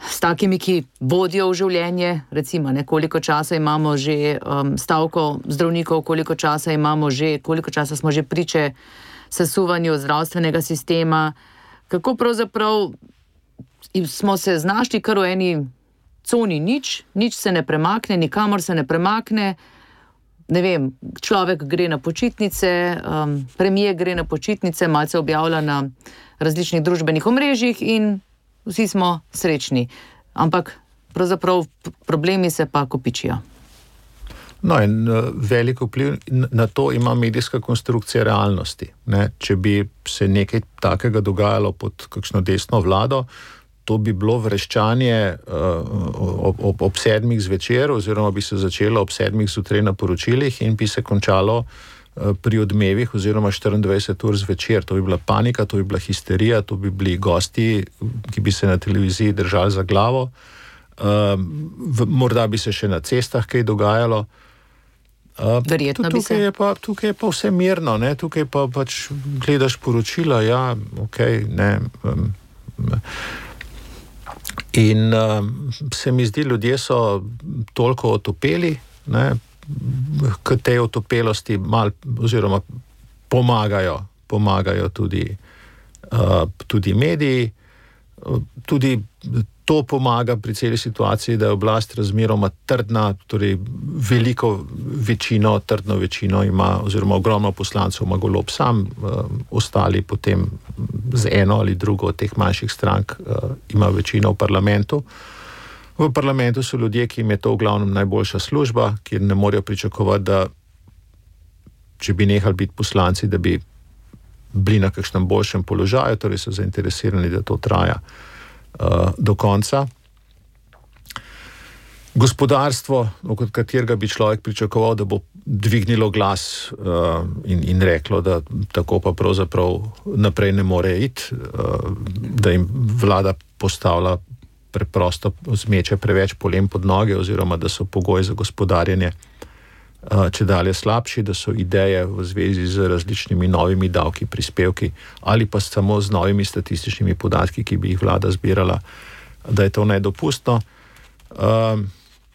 s takimi, ki vodijo v življenje, recimo, ne, koliko časa imamo že stavko zdravnikov, koliko časa smo že priče sesuvanju zdravstvenega sistema, kako pravzaprav smo se znašli kar v eni coni nič se ne premakne, nikamor se ne premakne, ne vem, človek gre na počitnice, premier gre na počitnice, malce objavlja na različnih družbenih omrežjih in vsi smo srečni. Ampak pravzaprav problemi se pa kopičijo. No, in velik vpliv na to ima medijska konstrukcija realnosti. Ne? Če bi se nekaj takega dogajalo pod kakšno desno vlado, to bi bilo vreščanje ob 7 zvečer, oziroma bi se začelo ob 7 zjutraj na poročilih in bi se končalo pri odmevih oziroma 24 ur zvečer. To bi bila panika, to bi bila histerija, to bi bili gosti, ki bi se na televiziji držali za glavo. Morda bi se še na cestah kaj dogajalo. Verjetno bi se. Tukaj je pa vse mirno, ne? Tukaj pa pač gledaš poročila, ja, okej, ne. In se mi zdi, ljudje so toliko otopeli, ne, k tej otopelosti oziroma pomagajo tudi mediji, tudi to pomaga pri celi situaciji, da je oblast razmeroma trdna, torej trdno večino ima, oziroma ogromno poslancev ima Golob sam, ostali potem z eno ali drugo od teh manjših strank ima večino v parlamentu. V parlamentu so ljudje, ki jim je to v glavnem najboljša služba, kjer ne morejo pričakovati, da če bi nehali biti poslanci, da bi bili na kakšnem boljšem položaju, torej so zainteresirani, da to traja do konca. Gospodarstvo, od katerega bi človek pričakoval, da bo dvignilo glas in reklo, da tako pa pravzaprav naprej ne more iti, da jim vlada postavlja preprosto, zmeče preveč polem pod noge, oziroma da so pogoji za gospodarjenje čedalje slabši, da so ideje v zvezi z različnimi novimi davki, prispevki ali pa samo z novimi statističnimi podatki, ki bi jih vlada zbirala, da je to nedopustno.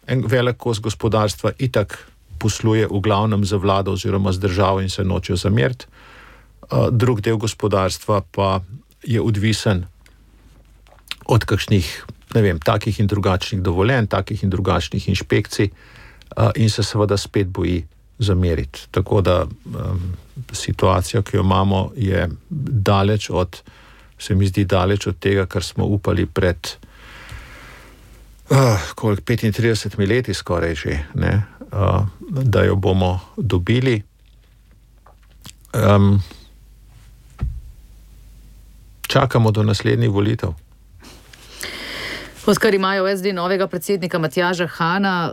En velik kos gospodarstva itak posluje v glavnem za vlado oziroma z državo in se nočejo zameriti. Drug del gospodarstva pa je odvisen od kakšnih, ne vem, takih in drugačnih dovoljenj, takih in drugačnih inšpekcij, in se seveda spet boji zameriti. Tako da situacija, ki jo imamo, je se mi zdi daleč od tega, kar smo upali pred 35 leti skoraj že, ne, da jo bomo dobili. Čakamo do naslednjih volitev. Odkar imajo v SD novega predsednika Matjaža Hana,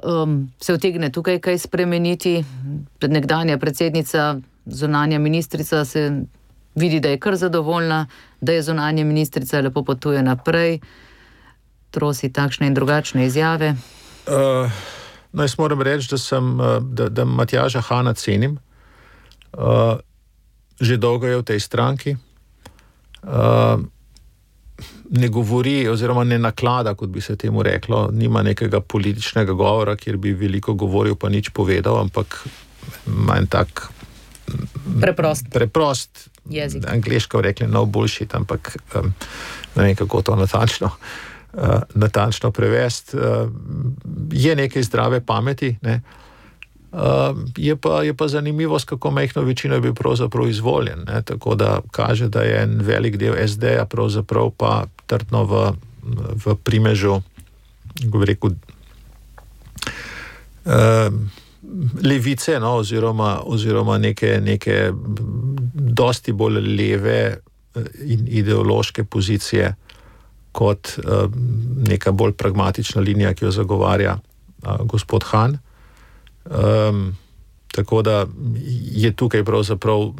se utegne tukaj kaj spremeniti. Nekdanja predsednica, zunanja ministrica, se vidi, da je kar zadovoljna, da je zunanja ministrica, lepo potuje naprej, trosi takšne in drugačne izjave. No, jaz moram reči, da Matjaža Hana cenim. Že dolgo je v tej stranki. Ne govori oziroma ne naklada, kot bi se temu reklo, nima nekega političnega govora, kjer bi veliko govoril pa nič povedal, ampak ima en tak preprost jezik. Angleško rekli no bullshit, ampak ne vem, kako to natančno prevesti. Je nekaj zdrave pameti, ne? Je pa zanimivost, kako majhno večino je bil pravzaprav izvoljen, ne? Tako da kaže, da je en velik del SD-ja pravzaprav pa trdno v primežu, bi rekel, levice, no? oziroma neke dosti bolj leve in ideološke pozicije kot neka bolj pragmatična linija, ki jo zagovarja gospod Han. Tako da je tukaj pravzaprav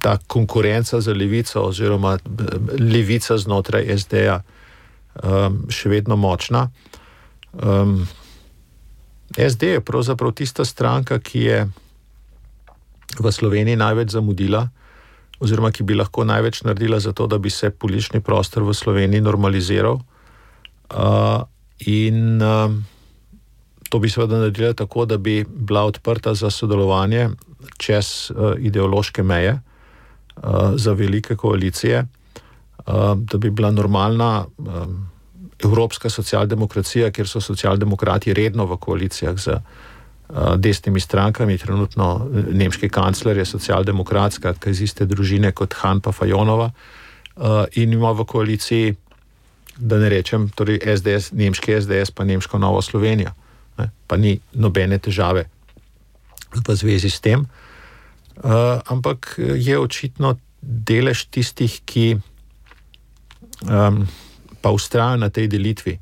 ta konkurenca za levico oziroma levica znotraj SD-ja še vedno močna. SD je pravzaprav tista stranka, ki je v Sloveniji največ zamudila oziroma ki bi lahko največ naredila za to, da bi se politični prostor v Sloveniji normaliziral. In to bi seveda naredila tako, da bi bila odprta za sodelovanje čez ideološke meje, za velike koalicije, da bi bila normalna evropska socialdemokracija, kjer so socialdemokrati redno v koalicijah z desnimi strankami. Trenutno nemški kancler je socialdemokrat, skratka iz iste družine kot Han pa Fajonova, in ima v koaliciji, da ne rečem, torej SDS, nemški SDS pa nemško Novo Slovenijo. Pa ni nobene težave v zvezi s tem. Ampak je očitno delež tistih, ki pa vztrajajo na tej delitvi,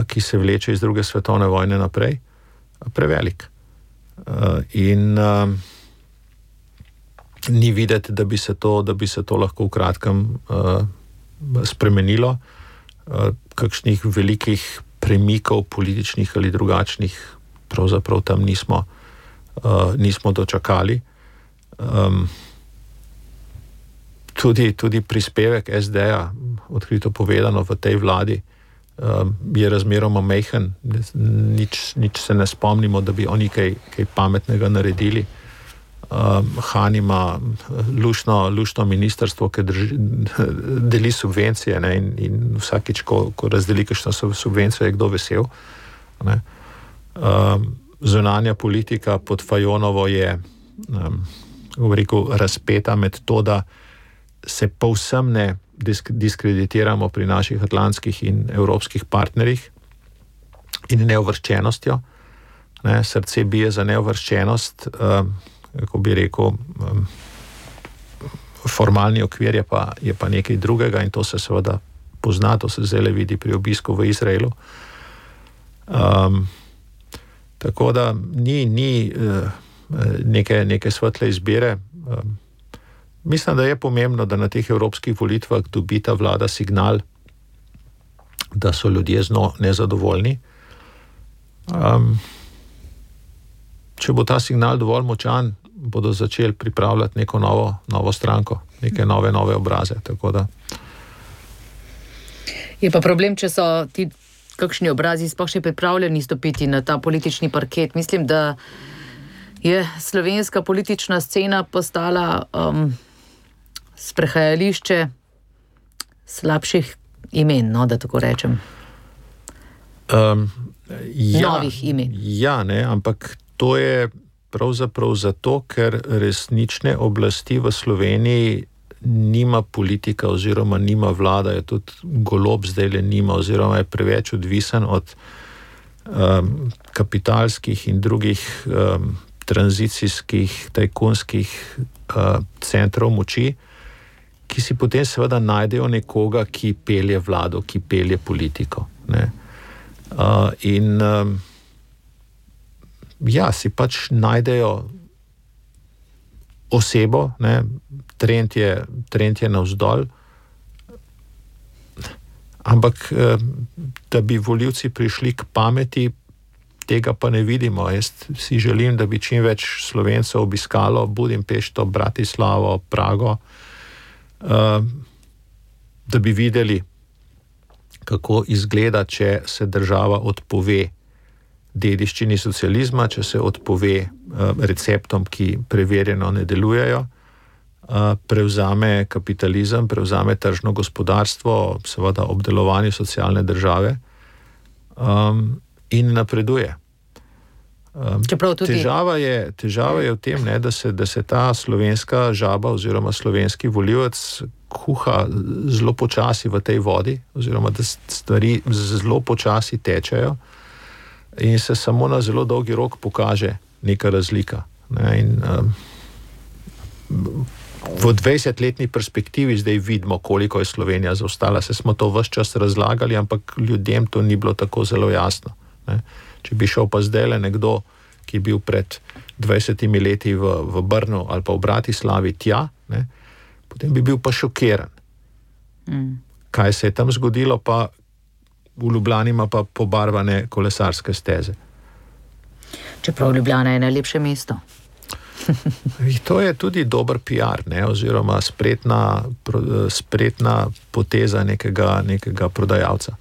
ki se vleče iz druge svetovne vojne naprej, prevelik. In ni videti, da bi se to lahko v kratkem spremenilo. Kakšnih velikih premikov političnih ali drugačnih pravzaprav tam nismo dočakali. Tudi prispevek SD-ja, odkrito povedano, v tej vladi je razmeroma majhen, nič se ne spomnimo, da bi oni kaj pametnega naredili. Han ima luštno ministrstvo, ki deli subvencije, ne, in vsakič, ko razdeli kakšno subvencijo, je kdo vesel. Ne. Zunanja politika pod Fajonovo je razpeta med to, da se povsem ne diskreditiramo pri naših atlantskih in evropskih partnerjih in neuvrščenostjo. Ne, srce bije za neuvrščenost, kako bi rekel, formalni okvir je pa nekaj drugega in to se seveda pozna, to se zdaj vidi pri obisku v Izraelu. Tako da ni neke svetle izbire. Mislim, da je pomembno, da na teh evropskih volitvah dobi ta vlada signal, da so ljudje z njo nezadovoljni. Če bo ta signal dovolj močan, bodo začeli pripravljati neko novo stranko, neke nove obraze. Tako da. Je pa problem, če so ti kakšni obrazi sploh še pripravljeni stopiti na ta politični parket. Mislim, da je slovenska politična scena postala sprehajališče slabših imen, no, da tako rečem. Novih imen. Ja, ne, ampak to je pravzaprav zato, ker resnične oblasti v Sloveniji nima politika oziroma nima vlada, je tudi Golob zdajle nima oziroma je preveč odvisen od kapitalskih in drugih tranzicijskih, tajkunskih centrov moči, ki si potem seveda najdejo nekoga, ki pelje vlado, ki pelje politiko. Ne. Si pač najdejo osebo, ne, trend je navzdol, ampak da bi volivci prišli k pameti, tega pa ne vidimo. Jaz si želim, da bi čim več Slovencev obiskalo Budimpešto, Bratislavo, Prago, da bi videli, kako izgleda, če se država odpove dediščini socializma, če se odpove receptom, ki preverjeno ne delujejo, prevzame kapitalizem, prevzame tržno gospodarstvo, seveda obdelovanje socialne države in napreduje. Težava je v tem, ne, da se ta slovenska žaba oziroma slovenski volivec kuha zelo počasi v tej vodi, oziroma da stvari zelo počasi tečejo in se samo na zelo dolgi rok pokaže neka razlika. Ne, in v 20-letni perspektivi zdaj vidimo, koliko je Slovenija zaostala. Se smo to ves čas razlagali, ampak ljudem to ni bilo tako zelo jasno. Ne. Če bi šel pa zdajle nekdo, ki je bil pred 20 leti v Brnu ali pa v Bratislavi tja, ne, potem bi bil pa šokiran. Kaj se je tam zgodilo, pa v Ljubljani ima pa pobarvane kolesarske steze. Čeprav Ljubljana je najlepše mesto. To je tudi dober PR, ne, oziroma spretna poteza nekega prodajalca.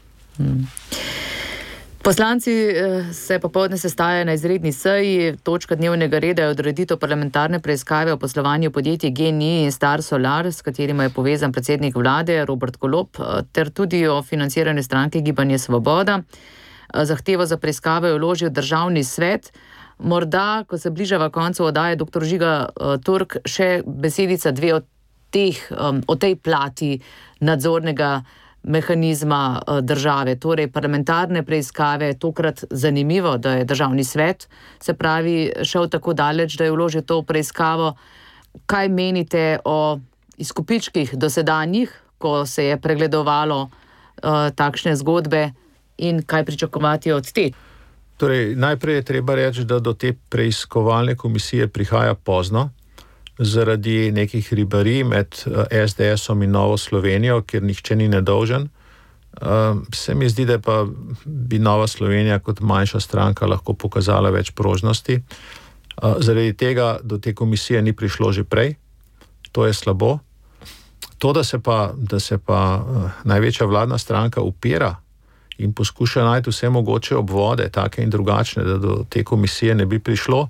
Poslanci se popoldne sestajajo na izredni seji. Točka dnevnega reda je odreditev parlamentarne preiskave o poslovanju podjetij GEN-I in Star Solar, s katerima je povezan predsednik vlade Robert Golob, ter tudi o financiranju stranke Gibanje Svoboda. Zahtevo za preiskavo je vložil Državni svet. Morda, ko se bližava koncu oddaje dr. Žiga Turk, še besedica dve o tej plati nadzornega mehanizma države, torej parlamentarne preiskave. Tokrat zanimivo, da je Državni svet, se pravi, šel tako daleč, da je vložil to preiskavo. Kaj menite o izkupičkih dosedanjih, ko se je pregledovalo takšne zgodbe in kaj pričakovati od te? Torej, najprej je treba reči, da do te preiskovalne komisije prihaja pozno, zaradi nekih ribarij med SDS-om in Novo Slovenijo, kjer nihče ni nedolžen. Se mi zdi, da pa bi Nova Slovenija kot manjša stranka lahko pokazala več prožnosti. Zaradi tega do te komisije ni prišlo že prej. To je slabo. To, da se pa največja vladna stranka upira in poskuša najti vse mogoče obvode, take in drugačne, da do te komisije ne bi prišlo,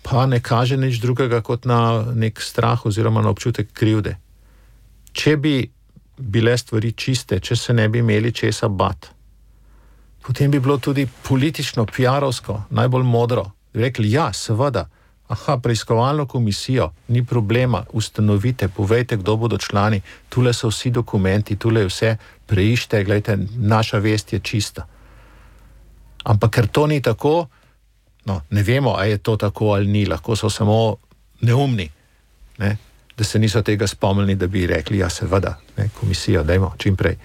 pa ne kaže nič drugega kot na nek strah oziroma na občutek krivde. Če bi bile stvari čiste, če se ne bi imeli česa bat, potem bi bilo tudi politično, PR-ovsko, najbolj modro. Bi rekli, ja, seveda, preiskovalno komisijo, ni problema, ustanovite, povejte, kdo bodo člani, tule so vsi dokumenti, tule je vse, preište, gledajte, naša vest je čista. Ampak ker to ni tako, ne vemo, a je to tako ali ni, lahko so samo neumni, ne? Da se niso tega spomnili, da bi rekli, ja, seveda, ne, komisijo, dajmo, čim prej.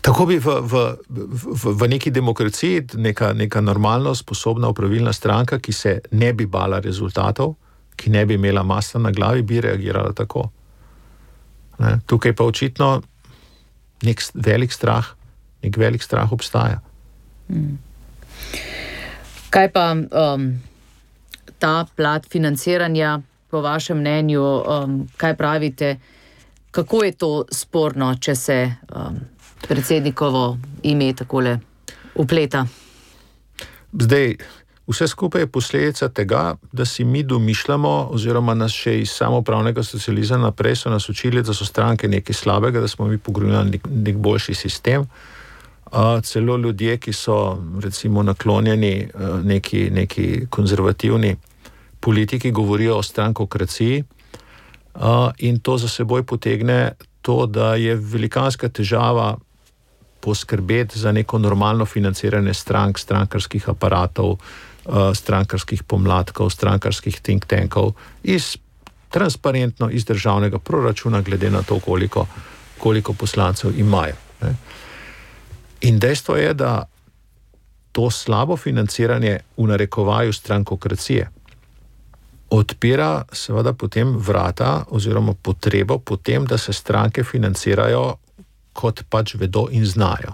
Tako bi v neki demokraciji neka normalno sposobna upravilna stranka, ki se ne bi bala rezultatov, ki ne bi imela masla na glavi, bi reagirala tako. Ne? Tukaj pa očitno nek velik strah obstaja. Kaj pa ta plat financiranja, po vašem mnenju, kaj pravite, kako je to sporno, če se predsednikovo ime takole upleta? Zdaj, vse skupaj je posledica tega, da si mi domišljamo, oziroma nas še iz samoupravnega socializma naprej so nas učili, da so stranke nekaj slabega, da smo mi pogrunili nek boljši sistem. Celo ljudje, ki so recimo naklonjeni neki konzervativni politiki, govorijo o strankokraciji, in to za seboj potegne to, da je velikanska težava poskrbeti za neko normalno financiranje strank, strankarskih aparatov, strankarskih pomladkov, strankarskih think tankov, transparentno iz državnega proračuna, glede na to, koliko poslancev imajo. Ne. In dejstvo je, da to slabo financiranje v narekovaju strankokracije odpira seveda potem vrata oziroma potrebo potem, da se stranke financirajo, kot pač vedo in znajo.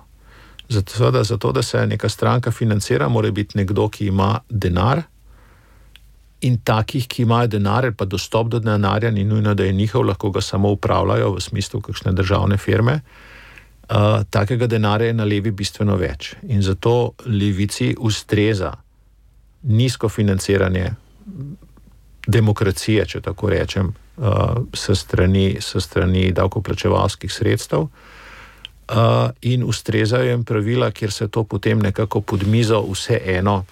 Zato, da se neka stranka financira, mora biti nekdo, ki ima denar, in takih, ki imajo denar ali pa dostop do denarja, ni nujno, da je njihov, lahko ga samo upravljajo v smislu kakšne državne firme, takega denarja je na levi bistveno več. In zato levici ustreza nizko financiranje demokracije, če tako rečem, s strani davkoplačevalskih sredstev, in ustrezajo jim pravila, kjer se to potem nekako pod mizo vseeno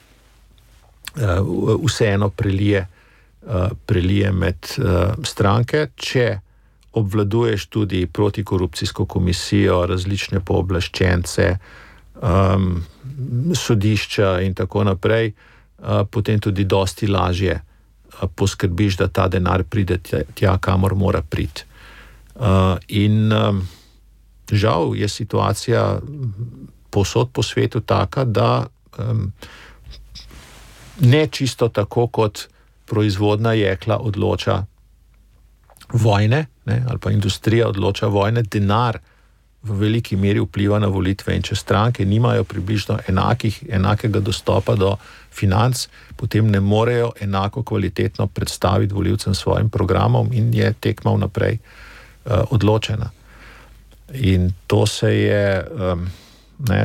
prelije med stranke, če obvladuješ tudi protikorupcijsko komisijo, različne pooblaščence, sodišča in tako naprej, potem tudi dosti lažje poskrbiš, da ta denar pride tja, kamor mora priti. In žal je situacija povsod po svetu taka, da ne čisto tako, kot proizvodna jekla odloča vojne, ne, ali pa industrija odloča vojne, denar v veliki meri vpliva na volitve, in če stranke nimajo približno enakega dostopa do financ, potem ne morejo enako kvalitetno predstaviti volivcem svojim programom in je tekma vnaprej odločena. In to se je,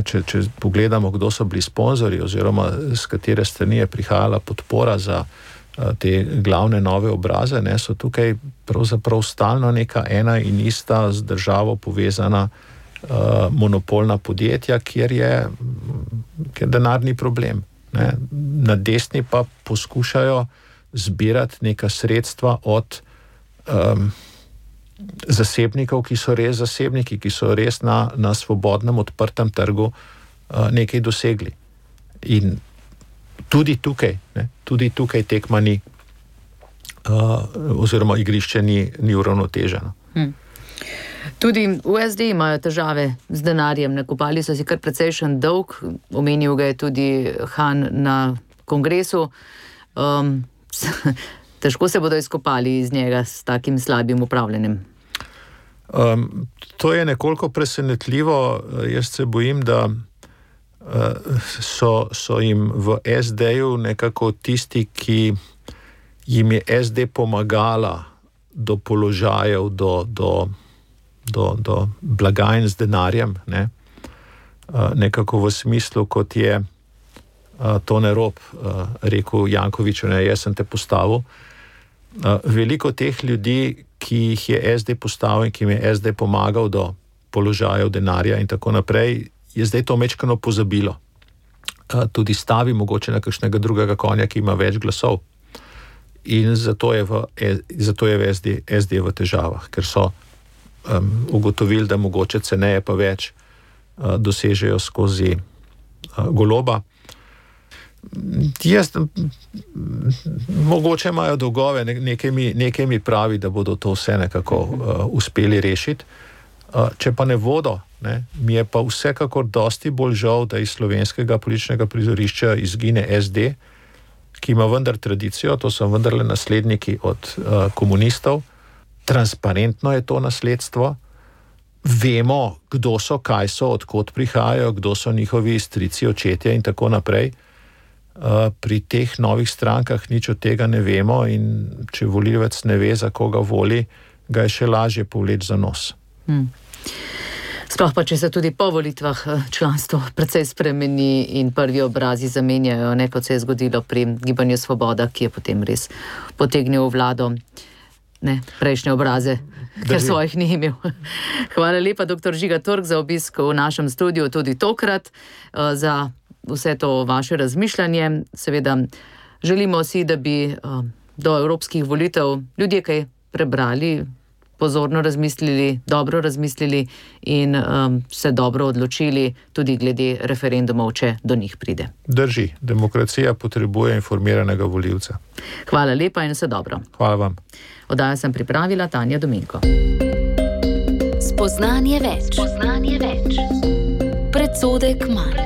če pogledamo, kdo so bili sponzorji oziroma z katere strani je prihajala podpora za te glavne nove obraze, so tukaj pravzaprav stalno neka ena in ista z državo povezana monopolna podjetja, kjer denar ni problem. Ne. Na desni pa poskušajo zbirati neka sredstva od zasebnikov, ki so res zasebniki, ki so res na svobodnem, odprtem trgu nekaj dosegli. In tudi tukaj tekma ni, oziroma igrišče ni uravnoteženo. Tudi v SD imajo težave z denarjem, nakopali so si kar precejšen dolg, omenil ga je tudi Han na kongresu. Težko se bodo izkopali iz njega s takim slabim upravljanjem. To je nekoliko presenetljivo. Jaz se bojim, da so jim v SD-ju nekako tisti, ki jim je SD pomagala do položajev, do blagajn z denarjem, ne, nekako v smislu, kot je Tone Rop rekel Jankoviću, ne, jaz sem te postavil. Veliko teh ljudi, ki jih je SD postavil in ki jim je SD pomagal do položajev, denarja in tako naprej, je zdaj to mečkano pozabilo. Tudi stavi mogoče na kakšnega drugega konja, ki ima več glasov. In zato je v SD v težavah, ker so ugotovili, da mogoče ceneje pa več dosežejo skozi Goloba. Mogoče imajo dolgove, nekaj mi pravi, da bodo to vse nekako uspeli rešiti. Če pa ne bodo, mi je pa vsekakor dosti bolj žal, da iz slovenskega političnega prizorišča izgine SD, ki ima vendar tradicijo, to so vendarle nasledniki od komunistov. Transparentno je to nasledstvo. Vemo, kdo so, kaj so, odkot prihajajo, kdo so njihovi strici, očetje in tako naprej. Pri teh novih strankah nič od tega ne vemo in če volivec ne ve, za koga voli, ga je še lažje povleči za nos. Sploh pa, če se tudi po volitvah članstvo precej spremeni in prvi obrazi zamenjajo, ne, kot se je zgodilo pri Gibanju Svoboda, ki je potem res potegnil vlado, ne, prejšnje obraze, ker svojih ni imel. Hvala lepa, dr. Žiga Turk, za obisk v našem studiu tudi tokrat, za vse to vaše razmišljanje. Seveda želimo si, da bi do evropskih volitev ljudje kaj prebrali, pozorno razmislili, dobro razmislili in se dobro odločili tudi glede referendumov, če do njih pride. Drži, demokracija potrebuje informiranega volivca. Hvala lepa in vse dobro. Hvala vam. Oddajo sem pripravila Tanja Dominko. Spoznanje več. Predsodek manj.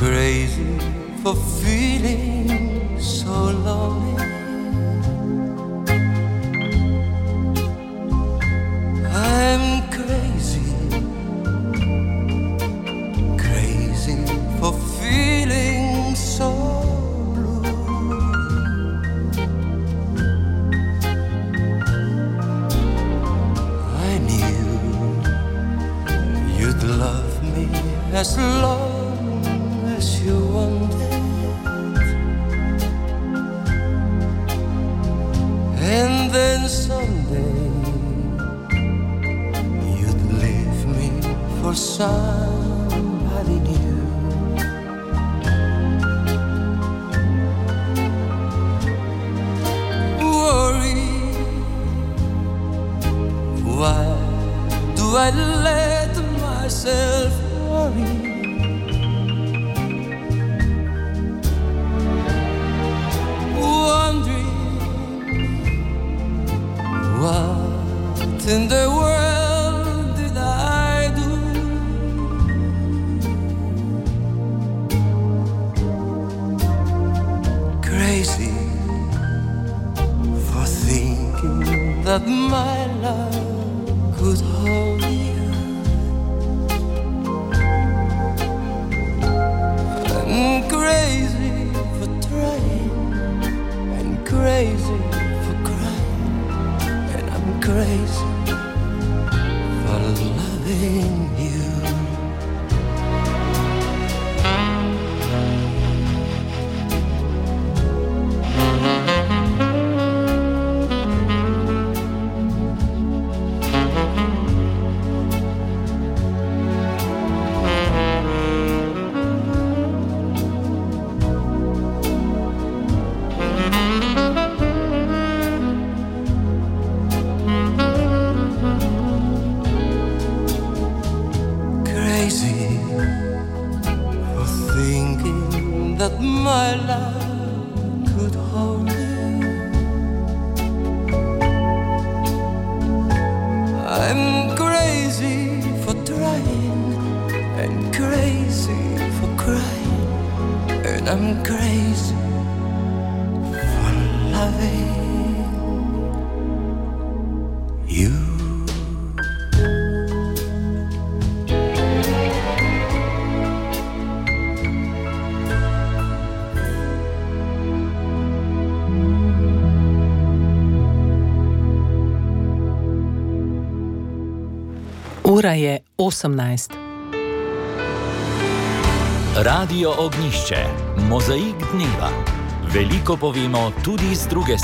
Crazy for feeling so lonely. I'm crazy for feeling so blue. I knew you'd love me as long you wanted, and then someday you'd leave me for somebody new. Worry, why do I let myself worry? What in the world did I do? Crazy for thinking that my love could hold you. I'm crazy for trying and crazy crazy for loving you. That my love could hold you. I'm crazy for trying and crazy for crying, and I'm crazy for loving you. Ura je 18. Radio Ognjišče, mozaik dneva. Veliko povemo tudi z druge